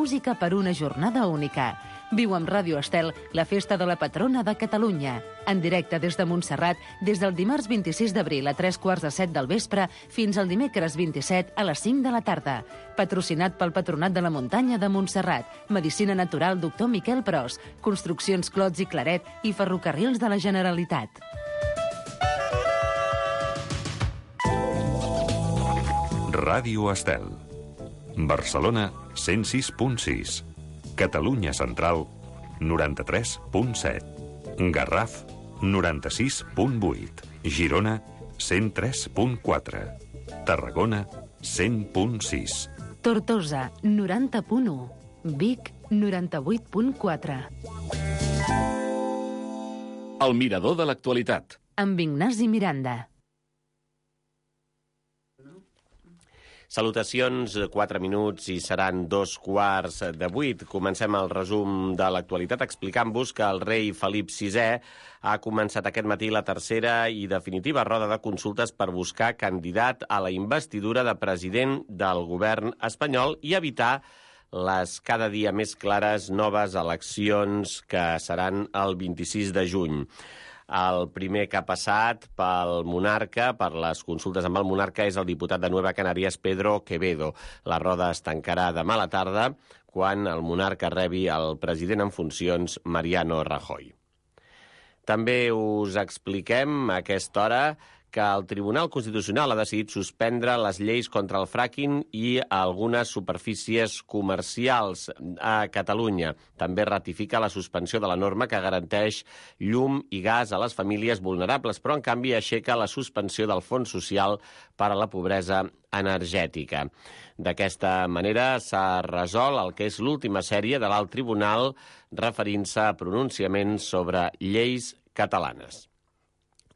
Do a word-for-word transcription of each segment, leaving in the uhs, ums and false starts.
música per una jornada única. Viu amb Ràdio Estel la festa de la patrona de Catalunya. En directe des de Montserrat, des del dimarts vint-i-sis d'abril a tres quarts de set del vespre fins al dimecres vint-i-set a les cinc de la tarda. Patrocinat pel Patronat de la Muntanya de Montserrat, Medicina Natural doctor Miquel Pros, Construccions Clots i Claret i Ferrocarrils de la Generalitat. Ràdio Estel. Barcelona, cent sis punt sis. Catalunya Central, noranta-tres punt set. Garraf, noranta-sis punt vuit. Girona, cent tres punt quatre. Tarragona, cent punt sis. Tortosa, noranta punt u. Vic, noranta-vuit punt quatre. El mirador de l'actualitat. Amb Ignasi Miranda. Salutacions, quatre minuts i seran dos quarts de vuit. Comencem el resum de l'actualitat explicant-vos que el rei Felip sisè ha començat aquest matí la tercera i definitiva roda de consultes per buscar candidat a la investidura de president del govern espanyol i evitar les cada dia més clares noves eleccions que seran el vint-i-sis de juny. El primer que ha passat pel monarca, per les consultes amb el monarca, és el diputat de Nueva Canarias, Pedro Quevedo. La roda es tancarà demà a la tarda, quan el monarca rebi el president en funcions, Mariano Rajoy. També us expliquem a aquesta hora que el Tribunal Constitucional ha decidit suspendre les lleis contra el fracking i algunes superfícies comercials a Catalunya. També ratifica la suspensió de la norma que garanteix llum i gas a les famílies vulnerables, però en canvi aixeca la suspensió del Fons Social per a la Pobresa Energètica. D'aquesta manera s'ha resolt el que és l'última sèrie de l'Alt Tribunal referint-se a pronunciaments sobre lleis catalanes.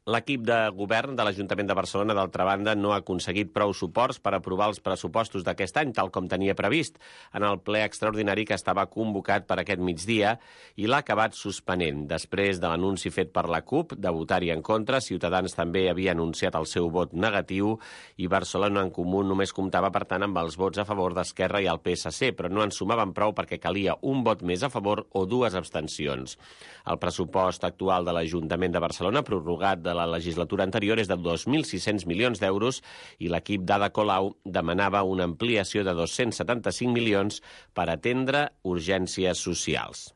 L'equip de govern de l'Ajuntament de Barcelona, d'altra banda, no ha aconseguit prou suports per aprovar els pressupostos d'aquest any, tal com tenia previst, en el ple extraordinari que estava convocat per aquest migdia i l'ha acabat suspenent. Després de l'anunci fet per la CUP de votar-hi en contra, Ciutadans també havia anunciat el seu vot negatiu i Barcelona en Comú només comptava, per tant, amb els vots a favor d'Esquerra i el P S C, però no en sumaven prou perquè calia un vot més a favor o dues abstencions. El pressupost actual de l'Ajuntament de Barcelona, prorrogat de la legislatura anterior, és de dos mil sis-cents milions d'euros i l'equip d'Ada Colau demanava una ampliació de dos-cents setanta-cinc milions per atendre urgències socials.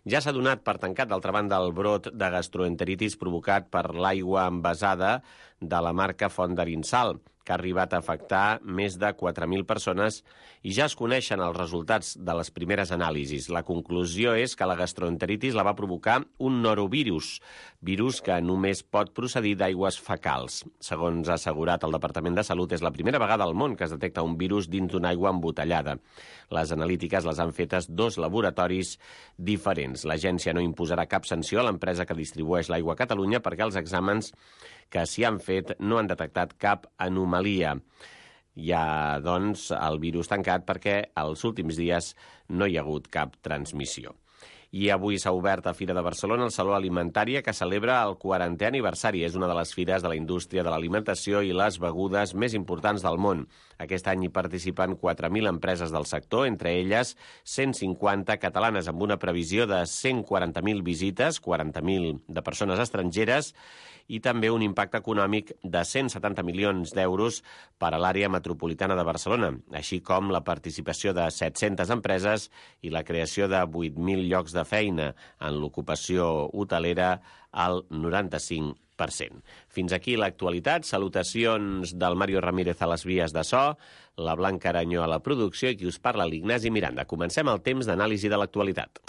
Ja s'ha donat per tancat, d'altra banda, el brot de gastroenteritis provocat per l'aigua envasada de la marca Font d'Arinsal, que ha arribat a afectar més de quatre mil persones i ja es coneixen els resultats de les primeres anàlisis. La conclusió és que la gastroenteritis la va provocar un norovirus, virus que només pot procedir d'aigües fecals. Segons ha assegurat el Departament de Salut, és la primera vegada al món que es detecta un virus dins d'una aigua embotellada. Les analítiques les han fetes dos laboratoris diferents. L'agència no imposarà cap sanció a l'empresa que distribueix l'aigua a Catalunya perquè els exàmens que s'hi han fet no han detectat cap anomalia. Hi ha, doncs, el virus tancat perquè els últims dies no hi ha hagut cap transmissió. I avui s'ha obert a Fira de Barcelona el Saló Alimentària, que celebra el quarantè aniversari. És una de les fires de la indústria de l'alimentació i les begudes més importants del món. Aquest any hi participen quatre mil empreses del sector, entre elles cent cinquanta catalanes, amb una previsió de cent quaranta mil visites, quaranta mil de persones estrangeres, i també un impacte econòmic de cent setanta milions d'euros per a l'àrea metropolitana de Barcelona, així com la participació de set-centes empreses i la creació de vuit mil llocs de feina en l'ocupació hotelera al noranta-cinc per cent. Fins aquí l'actualitat. Salutacions del Mario Ramírez a les vies de so, la Blanca Aranyó a la producció i qui us parla, l'Ignasi Miranda. Comencem el temps d'anàlisi de l'actualitat.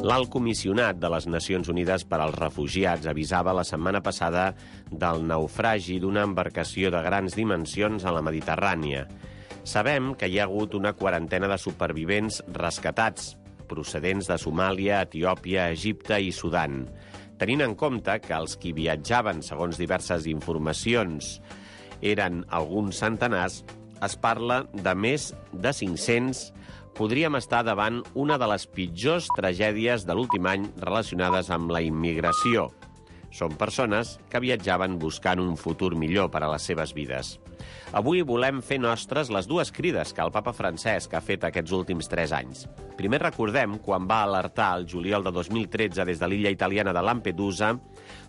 L'alt comissionat de les Nacions Unides per als Refugiats avisava la setmana passada del naufragi d'una embarcació de grans dimensions a la Mediterrània. Sabem que hi ha hagut una quarantena de supervivents rescatats, procedents de Somàlia, Etiòpia, Egipte i Sudan. Tenint en compte que els qui viatjaven, segons diverses informacions, eren alguns centenars, es parla de més de cinc-cents podríem estar davant una de les pitjors tragèdies de l'últim any relacionades amb la immigració. Són persones que viatjaven buscant un futur millor per a les seves vides. Avui volem fer nostres les dues crides que el papa Francesc ha fet aquests últims tres anys. Primer recordem quan va alertar el juliol de dos mil tretze des de l'illa italiana de Lampedusa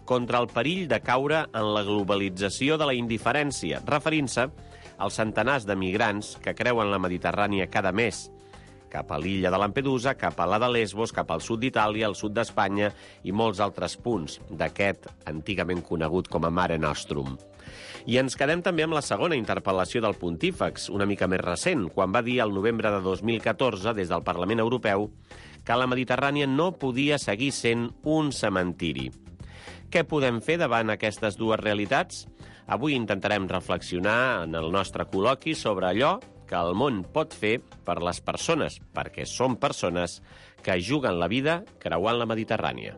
contra el perill de caure en la globalització de la indiferència, referint-se als centenars de migrants que creuen la Mediterrània cada mes, cap a l'illa de Lampedusa, cap a la de Lesbos, cap al sud d'Itàlia, al sud d'Espanya i molts altres punts d'aquest antigament conegut com a Mare Nostrum. I ens quedem també amb la segona interpel·lació del Pontífex, una mica més recent, quan va dir al novembre de dos mil catorze, des del Parlament Europeu, que la Mediterrània no podia seguir sent un cementiri. Què podem fer davant aquestes dues realitats? Avui intentarem reflexionar en el nostre col·loqui sobre allò que el món pot fer per les persones, perquè són persones que juguen la vida creuant la Mediterrània.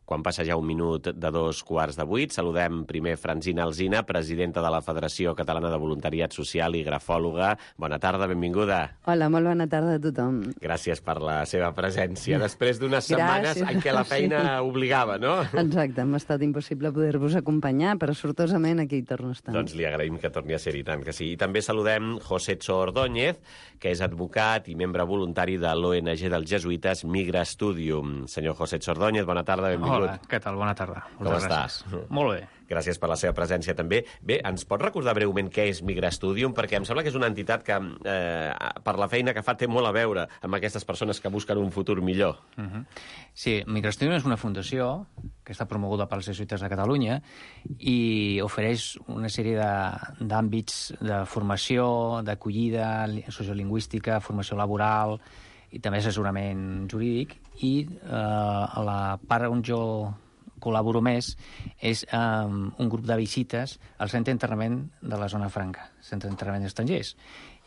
Quan passa ja un minut de dos quarts de vuit, saludem primer Francina Alsina, presidenta de la Federació Catalana de Voluntariat Social i grafòloga. Bona tarda, benvinguda. Hola, molt bona tarda a tothom. Gràcies per la seva presència, després d'unes setmanes en què la feina sí. obligava, no? Exacte, m'ha estat impossible poder-vos acompanyar, però sortosament aquí hi torno a estar. Doncs li agraïm que torni a ser-hi, tant que sí. I també saludem José Txo Ordóñez, que és advocat i membre voluntari de l'O N G dels Jesuïtes Migra Studium. Senyor José Txo Ordóñez, bona tarda, benvingut. Hola, què tal? Bona tarda. Com estàs? Molt bé. Gràcies per la seva presència també. Bé, ens pot recordar breument què és Migra Studium? Perquè em sembla que és una entitat que, eh, per la feina que fa, té molt a veure amb aquestes persones que busquen un futur millor. Uh -huh. Sí, Migra Studium és una fundació que està promoguda pels Jesuïtes de Catalunya i ofereix una sèrie d'àmbits de, de formació, d'acollida sociolingüística, formació laboral i també assessorament jurídic. I eh, a la part on jo col·laboro més és um, un grup de visites al centre d'internament de la Zona Franca, centre d'internament d'estrangers.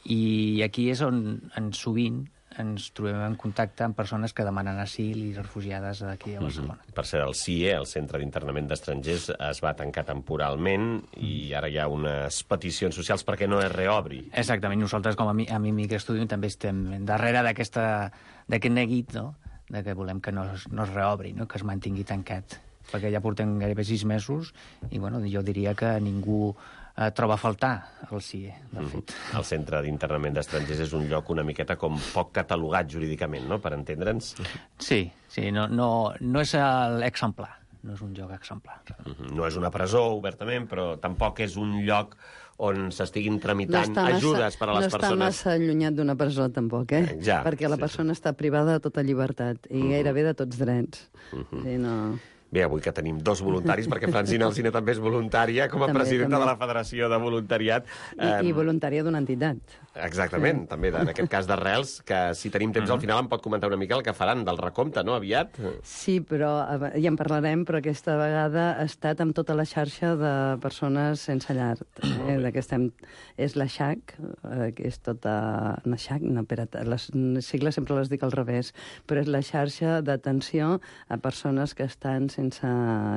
I aquí és on, en sovint ens trobem en contacte amb persones que demanen asil i refugiades d'aquí a Barcelona. Mm-hmm. Per ser el C I E, el Centre d'Internament d'Estrangers, es va tancar temporalment i ara hi ha unes peticions socials perquè no es reobri. Exactament. Nosaltres, com a, mi, a Migra Studium, també estem darrere d'aquesta d'aquest neguit, no?, de que volem que no es, no es reobri, no?, que es mantingui tancat, perquè ja portem gairebé sis mesos i bueno, jo diria que ningú eh, troba a faltar el C I E, de fet. Mm-hmm. El Centre d'Internament d'Estrangers és un lloc una miqueta com poc catalogat jurídicament, no?, per entendre'ns. Sí, sí, no, no, no és l'exemplar, no és un lloc exemplar. Mm-hmm. No és una presó, obertament, però tampoc és un lloc on s'estiguin tramitant no ajudes massa, per a les no persones. No està massa allunyat d'una presó, tampoc, eh? Ja, perquè la sí, persona sí. està privada de tota llibertat i uh-huh. gairebé de tots drets. Uh-huh. Sí, no... Bé, avui que tenim dos voluntaris, perquè Francina Alsina també és voluntària, com a també, presidenta també. de la Federació de Voluntariat. I, um... i voluntària d'una entitat. Exactament, sí. també, en aquest cas d'Arrels, que si tenim temps uh-huh. al final em pot comentar una mica el que faran del recompte, no?, aviat? Sí, però ja en parlarem, però aquesta vegada ha estat amb tota la xarxa de persones sense llar. Eh, de que estem... És la X A C, eh, que és tota... No, X A C, no, espera't, les sigles sempre les dic al revés, però és la xarxa d'atenció a persones que estan sense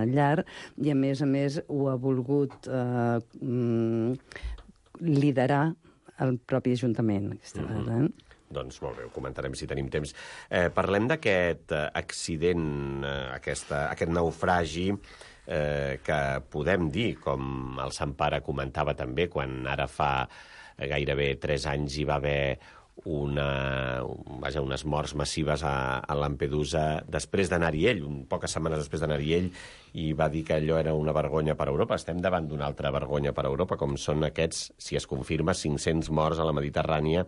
llar i, a més a més, ho ha volgut eh, liderar el propi Ajuntament. Aquesta mm-hmm. vegada, eh? Doncs molt bé, ho comentarem si tenim temps. Eh, parlem d'aquest eh, accident, eh, aquesta, aquest naufragi eh, que podem dir, com el Sant Pare comentava també, quan ara fa eh, gairebé tres anys hi va haver una, vaja, unes morts massives a, a Lampedusa després d'anar-hi ell, un, poques setmanes després d'anar-hi ell, i va dir que allò era una vergonya per a Europa. Estem davant d'una altra vergonya per a Europa, com són aquests, si es confirma, cinc-cents morts a la Mediterrània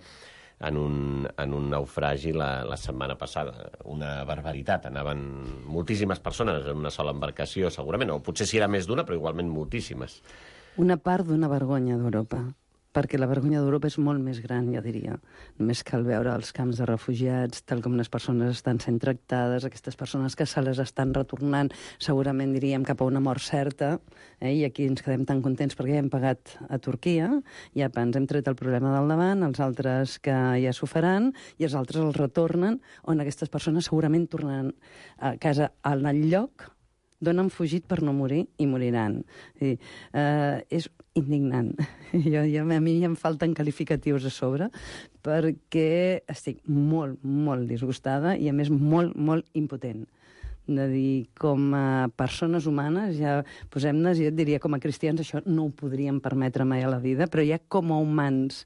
en un, en un naufragi la, la setmana passada. Una barbaritat. Anaven moltíssimes persones en una sola embarcació, segurament, o potser si era més d'una, però igualment moltíssimes. Una part d'una vergonya d'Europa, perquè la vergonya d'Europa és molt més gran, jo diria. Només cal veure els camps de refugiats, tal com les persones estan sent tractades, aquestes persones que se les estan retornant, segurament diríem cap a una mort certa, eh? I aquí ens quedem tan contents perquè ja hem pagat a Turquia, ja ens hem tret el problema del davant, els altres que ja s'ho faran, i els altres els retornen, on aquestes persones segurament tornaran a casa al lloc d'on han fugit per no morir i moriran. I, eh, és indignant. Jo, jo, a mi em falten qualificatius a sobre perquè estic molt, molt disgustada i, a més, molt, molt impotent. De dir, com a persones humanes, ja posem-nos, jo et diria, com a cristians, això no ho podríem permetre mai a la vida, però ja com a humans,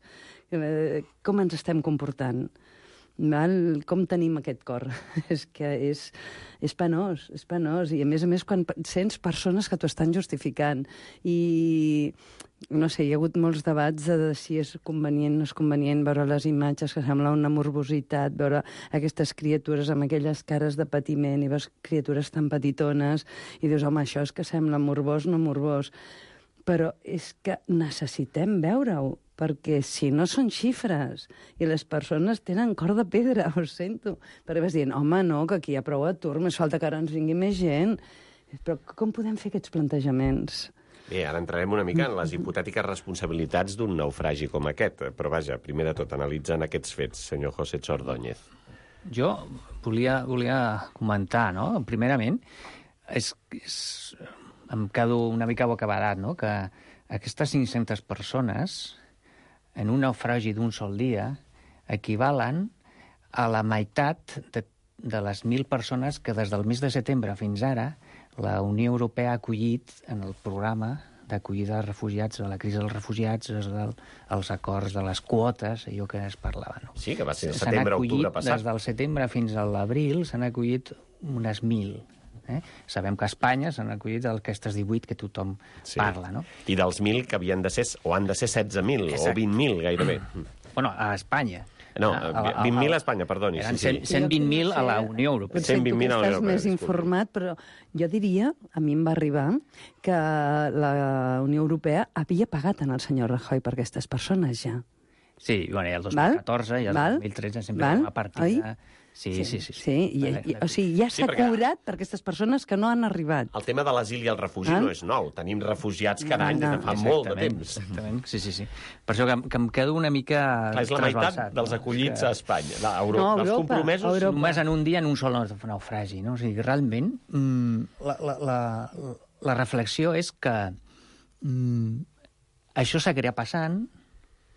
eh, com ens estem comportant? Val? Com tenim aquest cor? és que és, és penós, és penós. I, a més a més, quan sents persones que t'ho estan justificant i, no sé, hi ha hagut molts debats de si és convenient o no és convenient veure les imatges que sembla una morbositat, veure aquestes criatures amb aquelles cares de patiment i veus criatures tan petitones i dius, home, això és que sembla morbós, no morbós. Però és que necessitem veure-ho, perquè si no són xifres i les persones tenen cor de pedra, ho sento. Perquè vas dient, home, no, que aquí hi ha prou atur, més falta que ara ens vingui més gent. Però com podem fer aquests plantejaments? Bé, ara entrarem una mica en les hipotètiques responsabilitats d'un naufragi com aquest. Però vaja, primer de tot, analitzen aquests fets, senyor José Ordóñez. Jo volia, volia comentar, no? Primerament, és, és, em quedo una mica bocabadat, no? Que aquestes cinc-centes persones en un naufragi d'un sol dia, equivalen a la meitat de, de les mil persones que des del mes de setembre fins ara la Unió Europea ha acollit en el programa d'acollida de refugiats, de la crisi dels refugiats, del, els acords de les quotes, allò que es parlava. No? Sí, que va ser el setembre, octubre passat. Des del setembre fins a l'abril s'han acollit unes mil. Eh? Sabem que a Espanya s'han acollit aquestes divuit que tothom sí. parla, no? I dels mil que havien de ser, o han de ser setze mil, o vint mil, gairebé. Bueno, a Espanya. No, vint mil a Espanya, perdoni. Eren sí, sí. cent vint mil a la Unió Europea. Potser tu que estàs més informat, però jo diria, a mi em va arribar, que la Unió Europea havia pagat en el senyor Rajoy per aquestes persones ja. Sí, bueno, ja el dos mil catorze, ja el dos mil tretze, sempre Val? una partida... Oi? Sí, sí, sí. sí. sí i, i, o sigui, ja s'ha sí, perquè... cobrat per aquestes persones que no han arribat. El tema de l'asil i el refugi ah? no és nou. Tenim refugiats cada any no, no. des de fa exactament, molt de temps. Exactament, sí, sí, sí. Per això que, que em quedo una mica Clar, és la meitat dels acollits que... a Espanya. La Euro... no, Europa, els compromesos... Europa. Només en un dia, en un sol naufragi. No? O sigui, realment, mmm, la, la, la, la reflexió és que mmm, això seguirà passant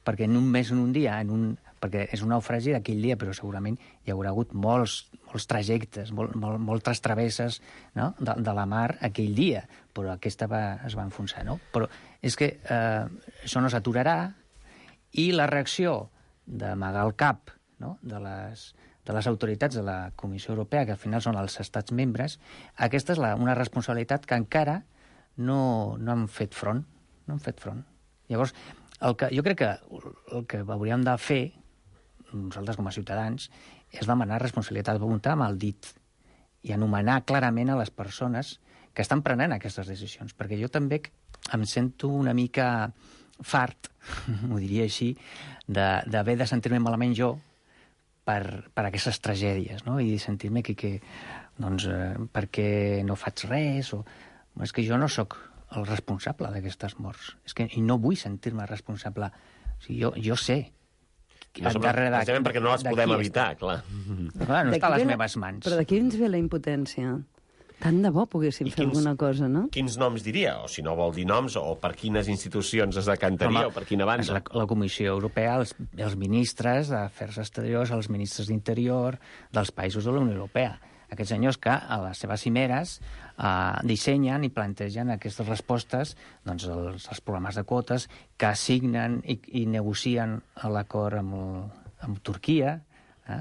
perquè en un mes, en un dia, en un... perquè és un naufragi d'aquell dia, però segurament hi haurà hagut molts, molts trajectes, molt, molt, moltes travesses, no? de, de la mar aquell dia, però aquesta va, es va enfonsar. No? Però és que eh, això no s'aturarà i la reacció d'amagar el cap, no? de, les, de les autoritats de la Comissió Europea, que al final són els estats membres, aquesta és la, una responsabilitat que encara no, no han fet front. No han fet front. Llavors, el que, jo crec que el que hauríem de fer nosaltres com a ciutadans, és demanar responsabilitat, apuntar amb el dit i anomenar clarament a les persones que estan prenent aquestes decisions. Perquè jo també em sento una mica fart, m'ho diria així, d'haver de, de sentir-me malament jo per, per aquestes tragèdies, no? I sentir-me que, que doncs, eh, perquè no faig res, o... És que jo no sóc el responsable d'aquestes morts. És que, i no vull sentir-me responsable. O sigui, jo, jo sé No, precisament perquè no les podem evitar, clar. Clar, no està a les meves mans. Però d'aquí ens ve la impotència. Tant de bo poguéssim I fer quins, alguna cosa, no? Quins noms diria? O si no vol dir noms, o per quines institucions es decantaria, Home, o per quina banda? La, la Comissió Europea, els, els ministres d'Afers Exteriors, els ministres d'Interior dels països de la Unió Europea. Aquests senyors que a les seves cimeres eh, dissenyen i plantegen aquestes respostes, doncs els, els programes de quotes, que assignen i, i negocien l'acord amb, amb Turquia, eh?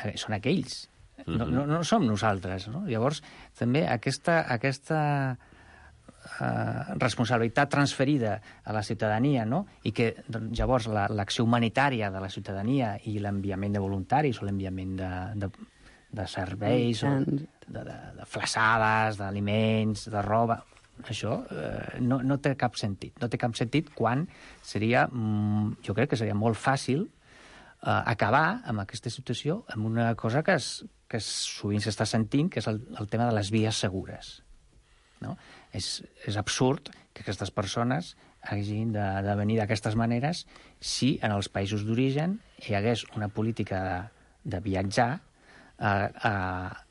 Eh, són aquells. Mm-hmm. no, no, no som nosaltres. No? Llavors, també aquesta, aquesta eh, responsabilitat transferida a la ciutadania, no? I que doncs, llavors la, l'acció humanitària de la ciutadania i l'enviament de voluntaris o l'enviament de... de de serveis, o de, de, de flaçades, d'aliments, de roba... Això eh, no, no té cap sentit. No té cap sentit quan seria... Mm, jo crec que seria molt fàcil eh, acabar amb aquesta situació amb una cosa que, es, que es, sovint s'està sentint, que és el, el tema de les vies segures. No? És, és absurd que aquestes persones hagin de, de venir d'aquestes maneres si en els països d'origen hi hagués una política de, de viatjar A, a,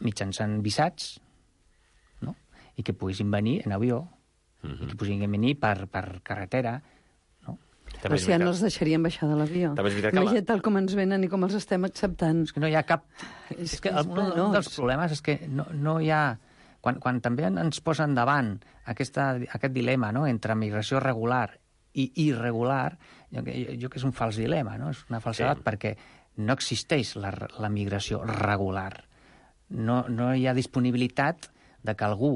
mitjançant visats, no? i que poguessin venir en avió, uh-huh. i que poguessin venir per, per carretera. No? Però si ja no els deixarien baixar de l'avió. Imagina't la... tal com ens venen i com els estem acceptant. És que no hi ha cap... És, és que el, un, un dels problemes és que no, no hi ha... Quan, quan també ens posen davant aquesta, aquest dilema, no?, entre migració regular i irregular, jo, jo, jo que és un fals dilema, no? És una falsedat, sí. Perquè no existeix la, la migració regular. No, no hi ha disponibilitat de que algú...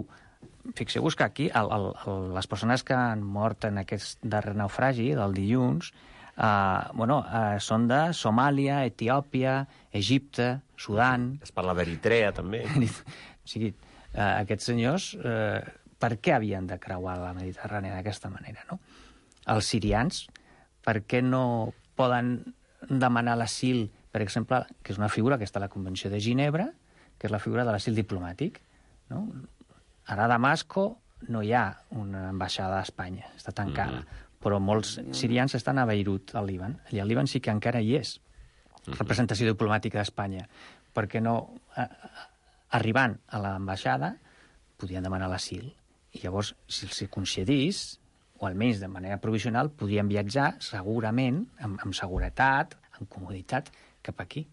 Fixeu-vos que aquí el, el, el, les persones que han mort en aquest darrer naufragi del dilluns eh, bueno, eh, són de Somàlia, Etiòpia, Egipte, Sudan... Es parla d'Eritrea, també. O sigui, eh, aquests senyors eh, per què havien de creuar la Mediterrània d'aquesta manera, no? Els sirians, per què no poden demanar l'asil, per exemple, que és una figura que està a la Convenció de Ginebra, que és la figura de l'asil diplomàtic, no? Ara a Damasco no hi ha una ambaixada a Espanya, està tancada, mm-hmm. però molts sirians estan a Beirut, al Líban. Allà al Líban sí que encara hi és representació diplomàtica d'Espanya, perquè no, a, arribant a l'ambaixada, podien demanar l'asil. I llavors, si els concedís, o almenys de manera provisional, podien viatjar segurament, amb, amb seguretat, amb comoditat, cap aquí.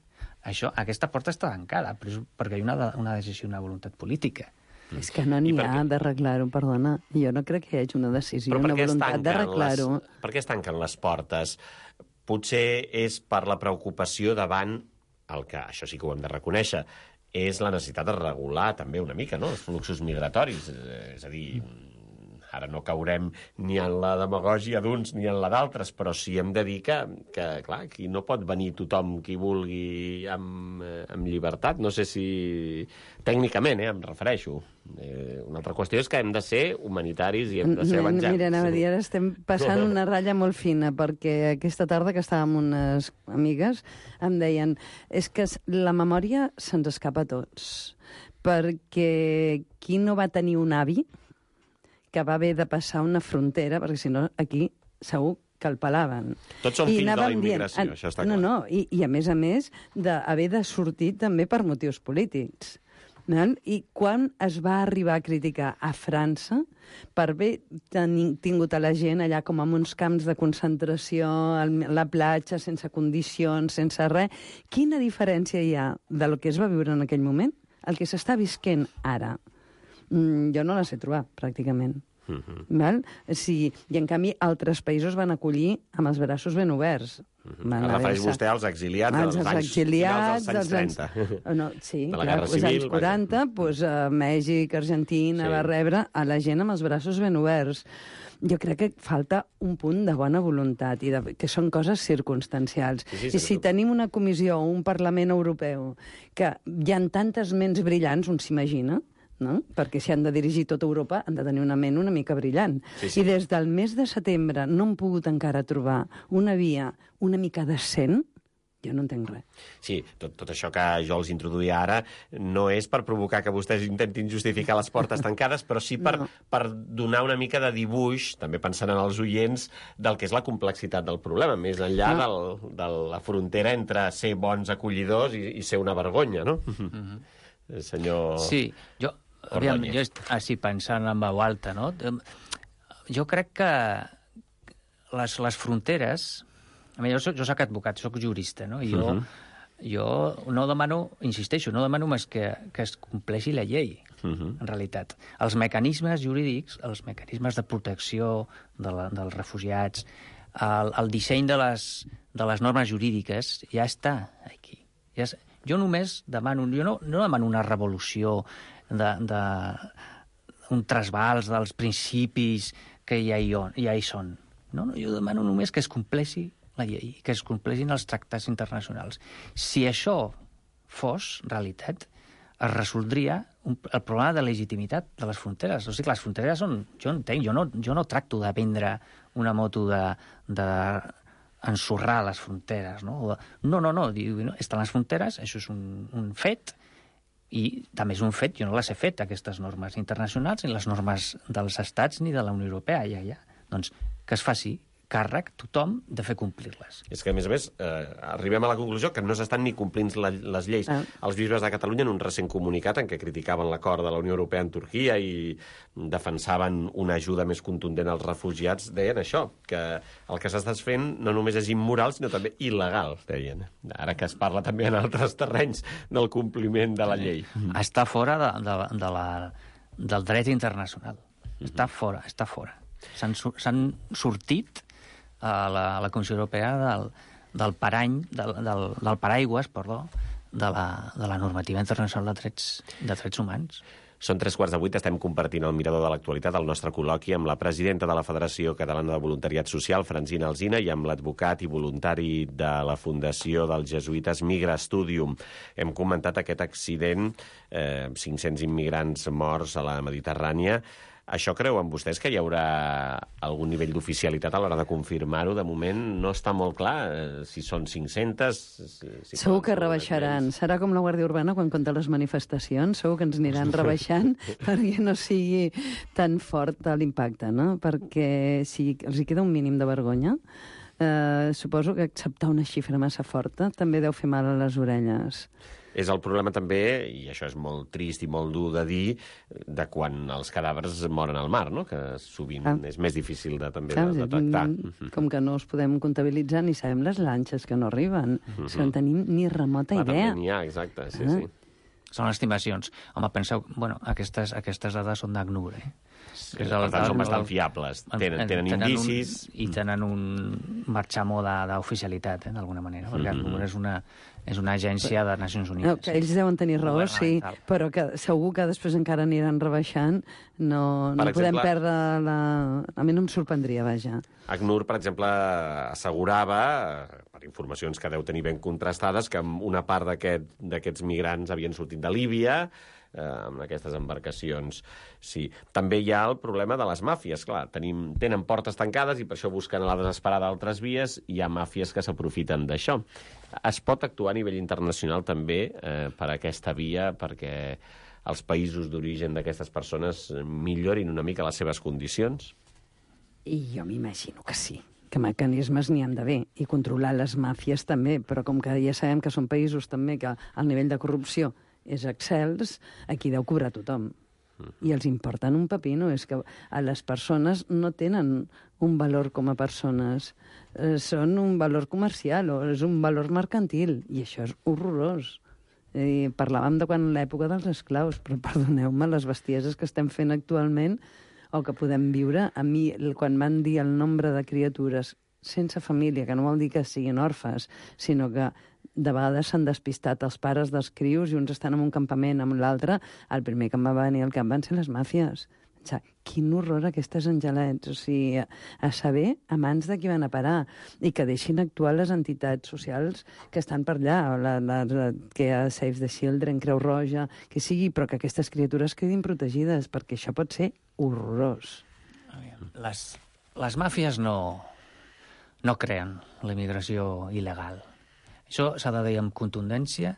Això, aquesta porta està tancada, però és perquè hi ha una, una decisió, una voluntat política. És que no n'hi ha d'arreglar-ho, perdona. Jo no crec que hi hagi una decisió, una voluntat d'arreglar-ho. Per què es tanquen les portes? Potser és per la preocupació davant el que, això sí que ho hem de reconèixer, és la necessitat de regular també una mica, no?, els fluxos migratoris. És a dir, ara no caurem ni en la demagògia d'uns ni en la d'altres, però sí hem de dir que, que clar, aquí no pot venir tothom qui vulgui amb, amb llibertat. No sé si... Tècnicament, eh, em refereixo. Eh, una altra qüestió és que hem de ser humanitaris i hem de ser evangèlics. Mira, anava a dir, ara estem passant una ratlla molt fina, perquè aquesta tarda que estàvem amb unes amigues em deien és que la memòria se'ns escapa a tots, perquè qui no va tenir un avi que va haver de passar una frontera, perquè si no aquí segur que el pelaven. Tots són fills de la immigració, dient, això està clar. No, no, i, i a més a més d'haver de sortir també per motius polítics. No? I quan es va arribar a criticar a França per haver tingut a la gent allà com en uns camps de concentració, a la platja, sense condicions, sense res, quina diferència hi ha de lo que es va viure en aquell moment el que s'està visquent ara? Mm, jo no la sé trobar, pràcticament. Uh-huh. Val? Sí, i en canvi altres països van acollir amb els braços ben oberts. Uh-huh. Refereix vostè als exiliats als dels anys, exiliats, dels anys trenta. Anys, no, sí, de la clar, Guerra Civil. Els anys quaranta, doncs, a Mèxic, Argentina, sí. Va rebre a la gent amb els braços ben oberts. Jo crec que falta un punt de bona voluntat, i de, que són coses circumstancials. Sí, sí, I si tenim una comissió o un Parlament Europeu que hi ha tantes ments brillants, un s'imagina, no? Perquè si han de dirigir tota Europa han de tenir una ment una mica brillant. Sí, sí. I des del mes de setembre no hem pogut encara trobar una via una mica decent, jo no entenc res. Sí, tot, tot això que jo els introduïa ara no és per provocar que vostès intentin justificar les portes tancades, però sí per, no. per donar una mica de dibuix, també pensant en els oients, del que és la complexitat del problema, més enllà no. del, de la frontera entre ser bons acollidors i, i ser una vergonya, no? Mm-hmm. Senyor... Sí, jo... Aviam, jo així pensant en veu alta, no? Jo crec que les, les fronteres... A mi, jo, soc, jo soc advocat, soc jurista, no? I jo, uh-huh. jo no demano, insisteixo, no demano més que, que es compleixi la llei, uh-huh. en realitat. Els mecanismes jurídics, els mecanismes de protecció de la, dels refugiats, el, el disseny de les, de les normes jurídiques ja està aquí. Ja és, jo només demano... Jo no, no demano una revolució de, de un trasbals dels principis que ja hi, ja hi són. No, no, jo demano només que es compleixi la llei, que es compleixin els tractats internacionals. Si això fos realitat, es resoldria un, el problema de legitimitat de les fronteres. O sigui, les fronteres són... Jo entenc, jo no, jo no tracto de vendre una moto de... de ensorrar les fronteres, no? No, no, no, diu, no, estan les fronteres, això és un, un fet, i també és un fet, jo no les he fet, aquestes normes internacionals, ni les normes dels estats ni de la Unió Europea, ja, ja. Doncs que es faci, càrrec, tothom, de fer complir-les. És que, a més a més, eh, arribem a la conclusió que no s'estan ni complint la, les lleis. Ah. Els bisbes de Catalunya, en un recent comunicat en què criticaven l'acord de la Unió Europea en Turquia i defensaven una ajuda més contundent als refugiats, deien això, que el que s'està fent no només és immoral, sinó també il·legal, deien. Ara que es parla també en altres terrenys del compliment de la llei. Està fora de, de, de la, del dret internacional. Està fora, està fora. S'han sortit a la, a la Comissió Europea del, del parany, del, del, del paraigües, perdó, de la, de la normativa internacional de drets, de drets humans. Són tres quarts de vuit, estem compartint el mirador de l'actualitat, el nostre col·loqui amb la presidenta de la Federació Catalana de Voluntariat Social, Francina Alsina, i amb l'advocat i voluntari de la Fundació dels Jesuïtes Migra Studium. Hem comentat aquest accident, eh, cinc-cents immigrants morts a la Mediterrània. Això creuen vostès que hi haurà algun nivell d'oficialitat a l'hora de confirmar-ho? De moment no està molt clar eh, si són cinc-centes... Si, si segur que rebaixaran. Serà com la Guàrdia Urbana quan compta les manifestacions. Segur que ens aniran rebaixant perquè no sigui tan fort l'impacte, no? Perquè si els hi queda un mínim de vergonya, eh, suposo que acceptar una xifra massa forta també deu fer mal a les orelles. És el problema també, i això és molt trist i molt dur de dir, de quan els cadàvers moren al mar, no? Que sovint ah. és més difícil de, també Clar, de detectar. Com que no els podem comptabilitzar ni sabem les lanxes que no arriben. Uh-huh. Si no en tenim ni remota Clar, idea. També n'hi ha, exacte, sí, ah. sí. Són estimacions. Home, penseu, bueno, aquestes, aquestes dades són d'ACNUR, eh? Sí, per tant, són bastant fiables. Tenen, tenen, tenen indicis... Un, I tenen un marxamo d'oficialitat, eh, d'alguna manera, perquè mm-hmm. ACNUR és una, és una agència de Nacions Unides. No, que ells deuen tenir raó, sí, però que segur que després encara aniran rebaixant. No, no exemple, podem perdre la... A mi no em sorprendria, vaja. ACNUR, per exemple, assegurava, per informacions que deu tenir ben contrastades, que una part d'aquests aquest, migrants havien sortit de Líbia, eh, amb aquestes embarcacions. Sí. També hi ha el problema de les màfies, clar. Tenim, tenen portes tancades i per això busquen a la desesperada altres vies. Hi ha màfies que s'aprofiten d'això. Es pot actuar a nivell internacional també eh, per aquesta via, perquè els països d'origen d'aquestes persones millorin una mica les seves condicions? I jo m'imagino que sí, que mecanismes n'hi han d'haver, i controlar les màfies també, però com que ja sabem que són països també que el nivell de corrupció és excels, aquí deu cobrar tothom. I els importen un pepino, és que a les persones no tenen un valor com a persones, eh, són un valor comercial o és un valor mercantil, i això és horrorós. I parlàvem de quan l'època dels esclaus, però perdoneu-me, les bestieses que estem fent actualment o que podem viure, a mi, quan van dir el nombre de criatures sense família, que no vol dir que siguin orfes, sinó que de vegades s'han despistat els pares dels crios i uns estan en un campament amb l'altre, el primer que em va venir al cap van ser les màfies. O sigui, quin horror aquestes angelets, o sigui, a, a saber a mans de qui van a parar, i que deixin actuar les entitats socials que estan per allà, la, la, la, que hi ha Save the Children, Creu Roja, que sigui, però que aquestes criatures quedin protegides, perquè això pot ser horrorós. Les, les màfies no, no creen la immigració il·legal. Això s'ha de dir amb contundència,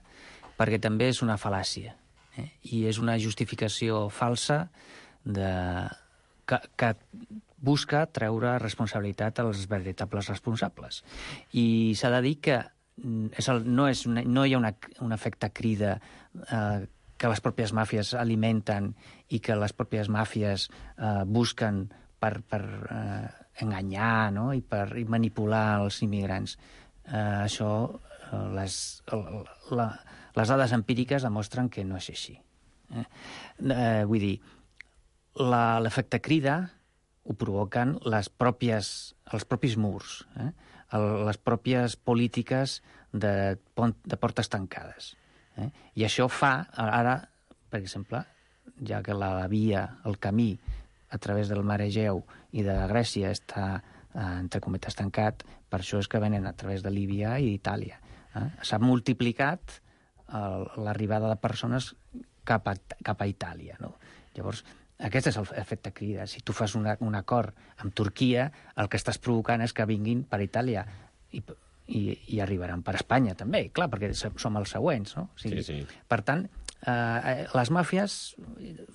perquè també és una fal·làcia, eh? I és una justificació falsa de, que, que busca treure responsabilitat als veritables responsables. I s'ha de dir que és el, no, és una, no hi ha una, un efecte crida eh, que les pròpies màfies alimenten i que les pròpies màfies eh, busquen per, per eh, enganyar, no? I per i manipular els immigrants. Eh, això, eh, les, la, les dades empíriques demostren que no és així. Eh? Eh, vull dir, l'efecte crida ho provoquen les pròpies, els propis murs, eh? El, les pròpies polítiques de, de portes tancades. Eh? I això fa, ara, per exemple, ja que la via, el camí a través del mar Egeu i de Grècia està, eh, entre cometes, tancat, per això és que venen a través de Líbia i d'Itàlia. Eh? S'ha multiplicat l'arribada de persones cap a, cap a Itàlia. No? Llavors, aquest és l'efecte crida. Si tu fas una, un acord amb Turquia, el que estàs provocant és que vinguin per Itàlia i, i, i arribaran per Espanya també, clar, perquè som els següents, no? O sigui, sí, sí. Per tant, eh, les màfies,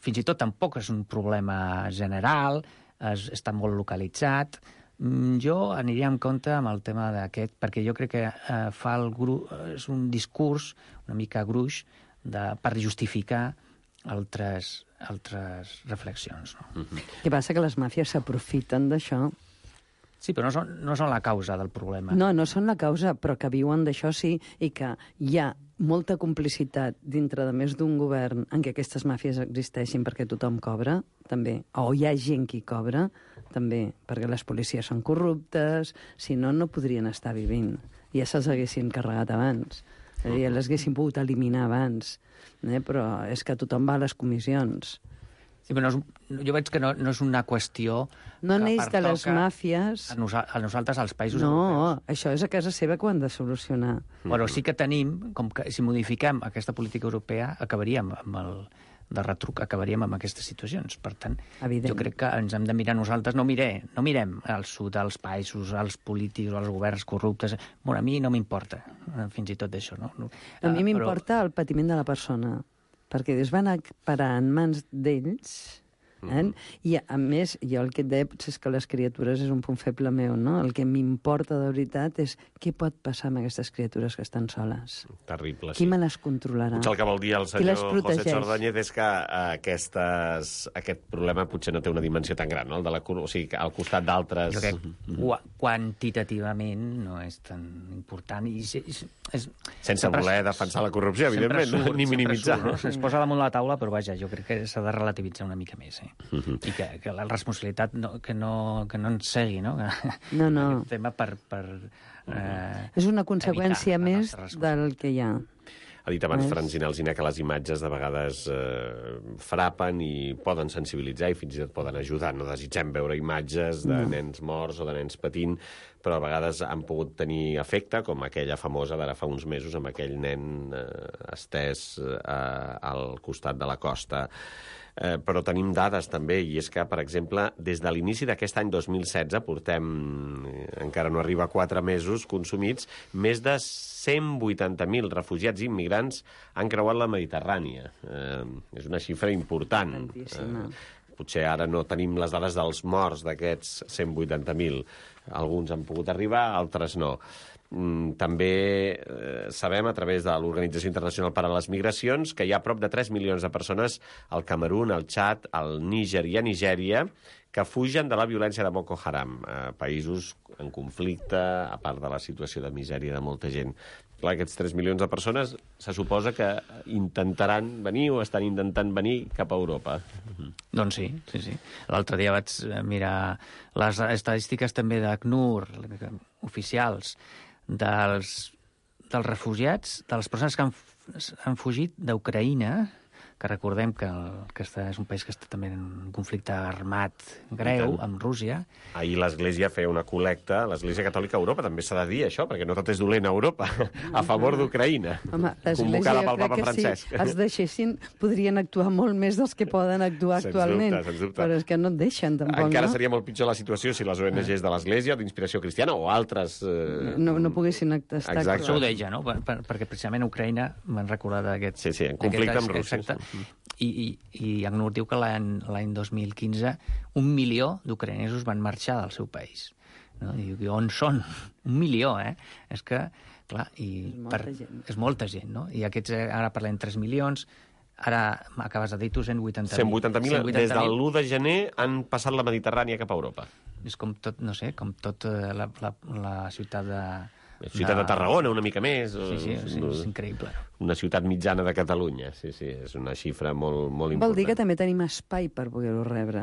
fins i tot tampoc és un problema general, és, està molt localitzat, Mm, Jo aniria en compte amb el tema d'aquest, perquè jo crec que eh, fa el gru... és un discurs una mica gruix de... per justificar altres, altres reflexions. No? Mm-hmm. Què passa? Que les màfies s'aprofiten d'això. Sí, però no són, no són la causa del problema. No, no són la causa, però que viuen d'això sí, i que hi ha molta complicitat dintre de més d'un govern en què aquestes màfies existeixin perquè tothom cobra, també, o hi ha gent qui cobra, també, perquè les policies són corruptes, si no, no podrien estar vivint. Ja se'ls haguessin carregat abans, és a dir, les haguessin pogut eliminar abans, eh? Però és que tothom va a les comissions. Sí, però no és, jo veig que no, no és una qüestió no que neix de les màfies. A, nosa, a nosaltres, als països no, europeus. No, això és a casa seva que ho han de solucionar. Però sí que tenim, com que si modifiquem aquesta política europea, acabaríem amb el de retruc, acabaríem amb aquestes situacions. Per tant, Evident. Jo crec que ens hem de mirar nosaltres. No, miré, no mirem al sud, als països, als polítics, als governs corruptes. Bueno, a mi no m'importa, fins i tot això. No? A mi m'importa però... el patiment de la persona, perquè es van a parar en mans d'ells, eh? Mm. I, a més, jo el que et deia potser és que les criatures és un punt feble meu, no? El que m'importa de veritat és què pot passar amb aquestes criatures que estan soles. Terrible, sí. Qui me les controlarà? Potser el que vol dir el senyor José Chordóñez és que aquestes, aquest problema potser no té una dimensió tan gran, no? El de la, o sigui, al costat d'altres... Jo crec que quantitativament no és tan important. I és, és, és, Sense voler defensar la corrupció, evidentment, surt, ni minimitzar. Surt, no? Es posa damunt la taula, però vaja, jo crec que s'ha de relativitzar una mica més, eh? Uh-huh. I que, que la responsabilitat no, que, no, que no ens segui, no? Que, no, no. Aquest tema per... per eh, és una conseqüència més del que hi ha. Ha dit abans Francina Alsina que les imatges de vegades eh, frapen i poden sensibilitzar i fins i tot poden ajudar. No desitgem veure imatges de no. nens morts o de nens patint, però a vegades han pogut tenir efecte, com aquella famosa d'ara fa uns mesos amb aquell nen eh, estès eh, al costat de la costa. Eh, però tenim dades també, i és que, per exemple, des de l'inici d'aquest any dos mil setze, portem, encara no arriba a quatre mesos consumits, més de cent vuitanta mil refugiats i immigrants han creuat la Mediterrània. Eh, és una xifra important. Eh, potser ara no tenim les dades dels morts d'aquests cent vuitanta mil. Alguns han pogut arribar, altres no. També eh, sabem, a través de l'Organització Internacional per a les Migracions, que hi ha prop de tres milions de persones al Camerun, al Txad, al Níger i a Nigèria que fugen de la violència de Boko Haram, eh, països en conflicte, a part de la situació de misèria de molta gent. Clar, aquests tres milions de persones se suposa que intentaran venir o estan intentant venir cap a Europa. Uh-huh. Doncs sí, sí, sí. L'altre dia vaig mirar les estadístiques també d'ACNUR, oficials, dels, dels refugiats, de les persones que han, han fugit d'Ucraïna, que recordem que, el, que està, és un país que està també en un conflicte armat greu amb Rússia. Ahir l'Església feia una col·lecta, l'Església Catòlica a Europa, també s'ha de dir això, perquè no tot és dolent a Europa, a favor d'Ucraïna, convocada pel Papa Francesc. Si els deixessin, podrien actuar molt més dels que poden actuar sens actualment. Dubte, sens dubte. Però és que no et deixen, tampoc, Encara no? seria molt pitjor la situació si les O N Gs de l'Església, d'Inspiració Cristiana o altres... Eh... No, no poguessin estar... Exacte. Això ho deia, no? Per, per, perquè precisament Ucraïna m'han recordat aquest... Sí, sí, en conflicte amb Rússia. Exacte. I, i, i ACNUR diu que l'any dos mil quinze un milió d'ucraïnesos van marxar del seu país. No? I diu, on són? Un milió, eh? És que, clar, i és molta per, gent. És molta gent, no? I aquests, ara parlem tres milions, ara acabes de dir tu cent vuitanta mil. cent vuitanta mil, des de l'u de gener han passat la Mediterrània cap a Europa. És com tot, no sé, com tot la, la, la ciutat de... La ciutat de Tarragona, una mica més. Sí, sí, sí, és increïble. Una ciutat mitjana de Catalunya, sí, sí, és una xifra molt, molt important. Vol dir que també tenim espai per poder-ho rebre.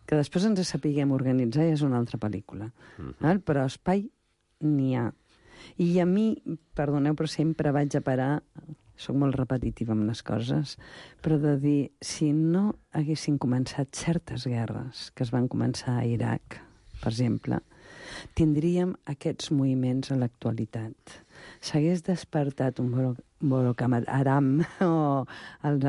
Que després ens sapiguem organitzar ja és una altra pel·lícula. Uh-huh. Però espai n'hi ha. I a mi, perdoneu, però sempre vaig a parar, soc molt repetitiva amb les coses, però de dir, si no haguessin començat certes guerres que es van començar a Iraq, per exemple, tindríem aquests moviments a l'actualitat. S'hagués despertat un Boko Haram o els...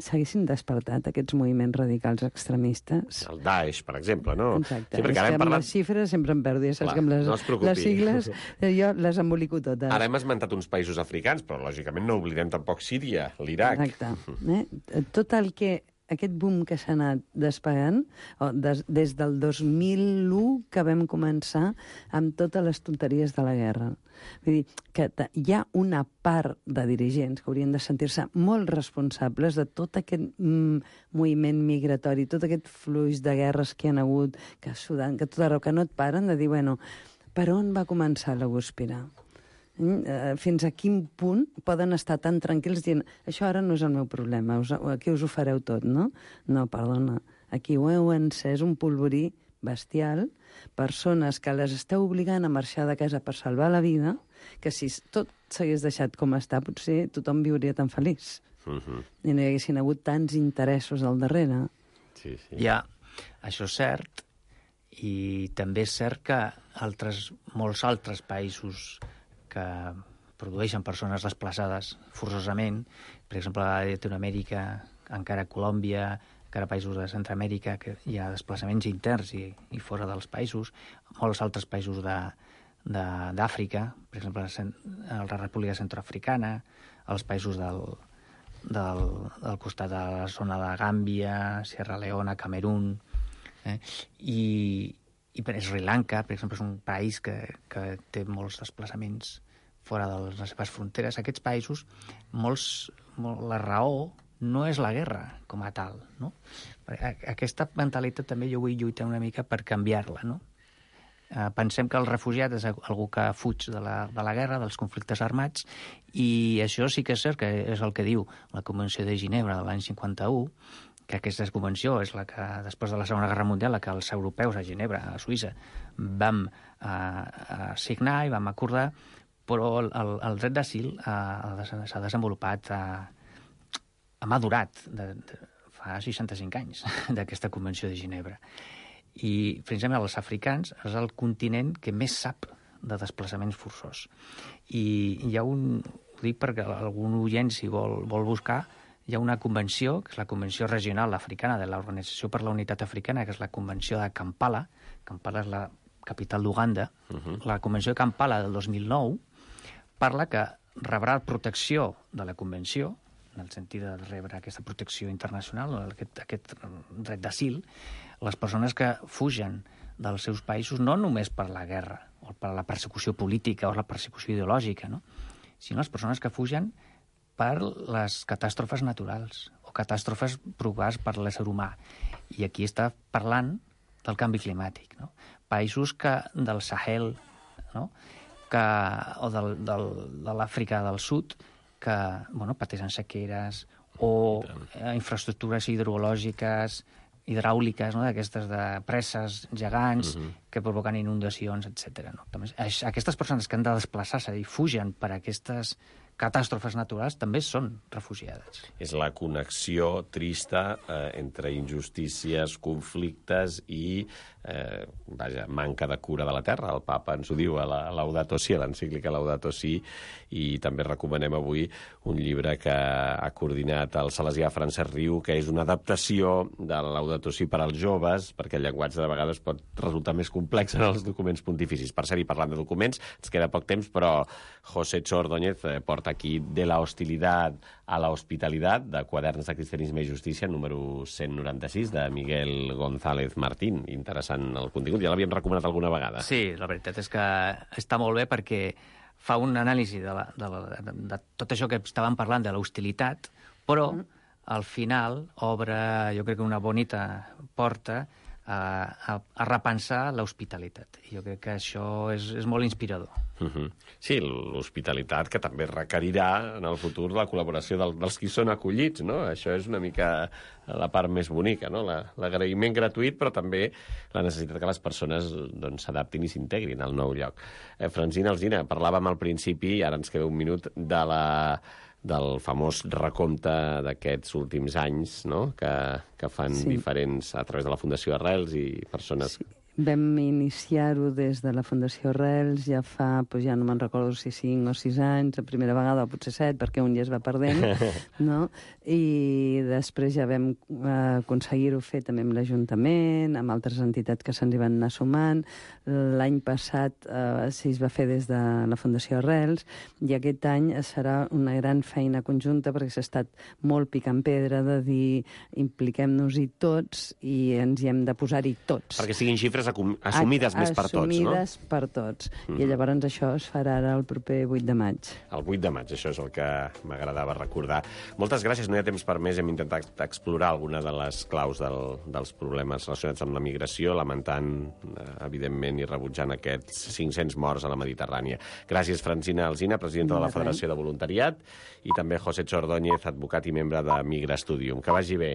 s'haguessin despertat aquests moviments radicals extremistes. El Daesh, per exemple, no? Exacte. Sí, és que amb parlat... les xifres sempre em perdo, ja saps Clar, que amb les, no es preocupi. les sigles jo les embolico totes. Ara hem esmentat uns països africans, però lògicament no oblidem tampoc Síria, l'Iraq. Exacte. Eh? Tot el que aquest boom que s'ha anat despegant, o des, des del dos mil u que vam començar amb totes les tonteries de la guerra. Vull dir que hi ha una part de dirigents que haurien de sentir-se molt responsables de tot aquest mm, moviment migratori, tot aquest fluix de guerres que hi ha hagut, que Sudan, que tot arreu, que no et paren de dir, bueno, per on va començar la guspira? Fins a quin punt poden estar tan tranquils dient això ara no és el meu problema, us, aquí us ho fareu tot, no? No, perdona, aquí ho heu encès un polvorí bestial, persones que les esteu obligant a marxar de casa per salvar la vida, que si tot s'hagués deixat com està, potser tothom viuria tan feliç. Uh-huh. I no hi haguessin hagut tants interessos al darrere. Sí, sí. Ja, això és cert, i també és cert que altres, molts altres països que produeixen persones desplaçades forçosament, per exemple, a Llatinoamèrica, encara Colòmbia, encara països de Centroamèrica, que hi ha desplaçaments interns i, i fora dels països, molts altres països de, de, d'Àfrica, per exemple, la República Centroafricana, els països del, del, del costat de la zona de Gàmbia, Sierra Leona, Camerún, eh? I, i per Sri Lanka, per exemple, és un país que, que té molts desplaçaments fora de les seves fronteres. Aquests països, molts, molt, la raó no és la guerra com a tal, no? Aquesta mentalitat també jo vull lluitar una mica per canviar-la, no? Eh, pensem que el refugiat és algú que fuig de la, de la guerra, dels conflictes armats, i això sí que és cert que és el que diu la Convenció de Ginebra de l'any cinquanta-u, que aquesta convenció és la que, després de la Segona Guerra Mundial, la que els europeus a Ginebra, a Suïssa, vam eh, a signar i vam acordar, però el, el dret d'asil eh, s'ha desenvolupat eh, ha madurat de, de, fa seixanta-cinc anys d'aquesta Convenció de Ginebra. I, precisament, els africans és el continent que més sap de desplaçaments forçós. I hi ha un... Ho dic perquè algun oient, si vol, vol buscar, hi ha una convenció, que és la Convenció Regional Africana de l'Organització per la Unitat Africana, que és la Convenció de Kampala. Kampala és la capital d'Uganda. Uh-huh. La Convenció de Kampala del dos mil nou parla que rebrà protecció de la Convenció, en el sentit de rebre aquesta protecció internacional, aquest, aquest dret d'asil, les persones que fugen dels seus països no només per la guerra o per la persecució política o la persecució ideològica, no? Sinó les persones que fugen per les catàstrofes naturals o catàstrofes provocades per l'ésser humà. I aquí està parlant del canvi climàtic, no? Països que del Sahel, no? que, o del, del, de l'Àfrica del Sud, que bueno, pateixen sequeres o eh, infraestructures hidrològiques, hidràuliques, no? d'aquestes de presses gegants uh-huh. que provoquen inundacions, etcètera. No? També, aquestes persones que han de desplaçar-se i fugen per aquestes catàstrofes naturals també són refugiades. És la connexió trista eh, entre injustícies, conflictes i eh, vaja, manca de cura de la terra. El papa ens ho diu a la Laudato Si, a l'encíclica Laudato Si, i també recomanem avui un llibre que ha coordinat el salesià Francesc Riu, que és una adaptació de la Laudato Si per als joves, perquè el llenguatge de vegades pot resultar més complex en els documents pontificis. Per cert, i parlant de documents, ens queda poc temps, però José Ordóñez eh, porta aquí De la hostilidad a la hospitalidad, de Quaderns de Cristianisme i Justícia, número cent noranta-sis, de Miguel González Martín. Interessant el contingut, ja l'havíem recomanat alguna vegada. Sí, la veritat és que està molt bé perquè fa un anàlisi de, la, de, la, de, de tot això que estàvem parlant, de l'hostilitat, però mm. al final obre, jo crec que una bonita porta a, a, a repensar l'hospitalitat. I jo crec que això és, és molt inspirador. Uh-huh. Sí, l'hospitalitat que també requerirà en el futur la col·laboració del, dels qui són acollits, no? Això és una mica la part més bonica, no? La, l'agraïment gratuït, però també la necessitat que les persones doncs, s'adaptin i s'integrin al nou lloc. Eh, Francina Alsina, parlàvem al principi, i ara ens queda un minut, de la... del famós recompte d'aquests últims anys, no? que, que fan sí. diferents, a través de la Fundació Arrels i persones... Sí. Vam iniciar-ho des de la Fundació Arrels ja fa, doncs ja no me'n recordo si cinc o sis anys, la primera vegada, o potser set, perquè un ja es va perdent, no? I després ja vam eh, aconseguir-ho fer també amb l'Ajuntament, amb altres entitats que se'ns hi van anar sumant. L'any passat eh, sí, es va fer des de la Fundació Arrels, i aquest any serà una gran feina conjunta, perquè s'ha estat molt picant pedra de dir impliquem-nos-hi tots i ens hi hem de posar-hi tots. Perquè siguin xifres assumides a, més per tots, no? Assumides per tots. Mm-hmm. I llavors això es farà ara el proper vuit de maig. El vuit de maig, això és el que m'agradava recordar. Moltes gràcies, no hi ha temps per més. Hem intentat explorar alguna de les claus del, dels problemes relacionats amb la migració, lamentant, evidentment, i rebutjant aquests cinc-cents morts a la Mediterrània. Gràcies, Francina Alsina, presidenta de la Federació de Voluntariat, i també José Chordóñez, advocat i membre de Migra Studium. Que vagi bé.